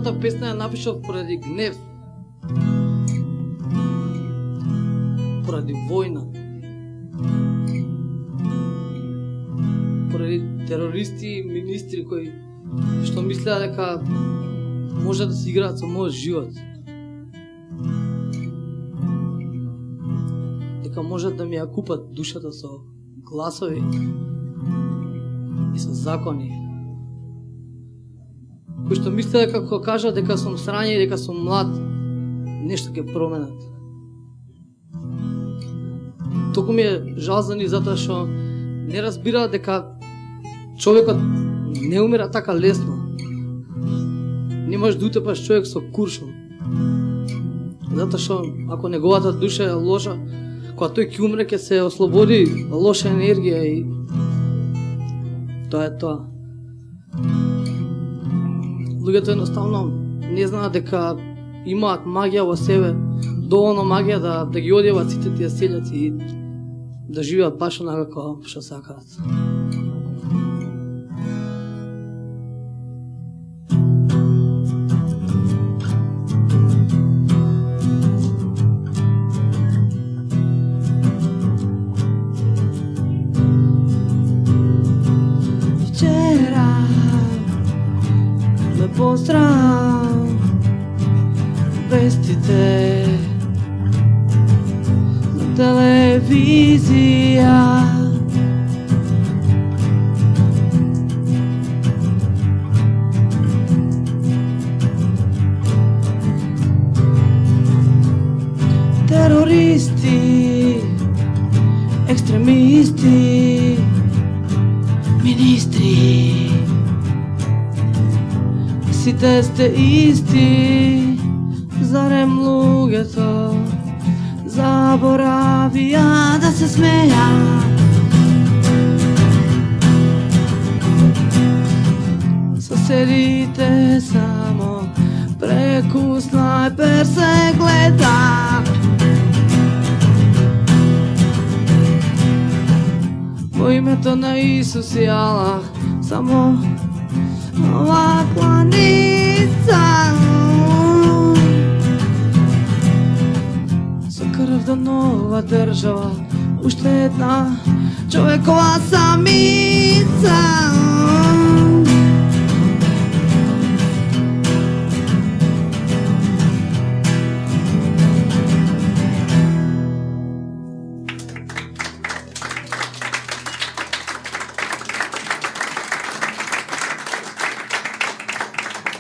Целата песна ја напишав поради гнев, поради војна, поради терористи и министри кои што мислеа дека може да си играат со мојот живот, дека можат да ми ја купат душата со гласови и со закони, кои што мислеа дека кога кажат дека сум срање и дека сум млад, нешто ќе променат. Толку ми е жал за нив затоа што не разбираат дека човекот не умира така лесно. Не можеш да утепаш човек со куршум. Затоа што ако неговата душа е лоша, кога тој ќе умре ќе се ослободи лоша енергија и тоа е тоа. Луѓето едноставно не знаат дека имаат магија во себе, доволно магија да ги одјават сите тие селјаци и да живеат баш онака што сакаат. Вчера ме поздрав вестите на телевизија. Терористи, екстремисти, министри, сите сте исти. Зарем луѓето заборавија да се смејат? Соседите само преку снайпер се гледа. Во името на Исус и Аллах, само ова кланица. Со крв до нова држава, уште една човекова самица.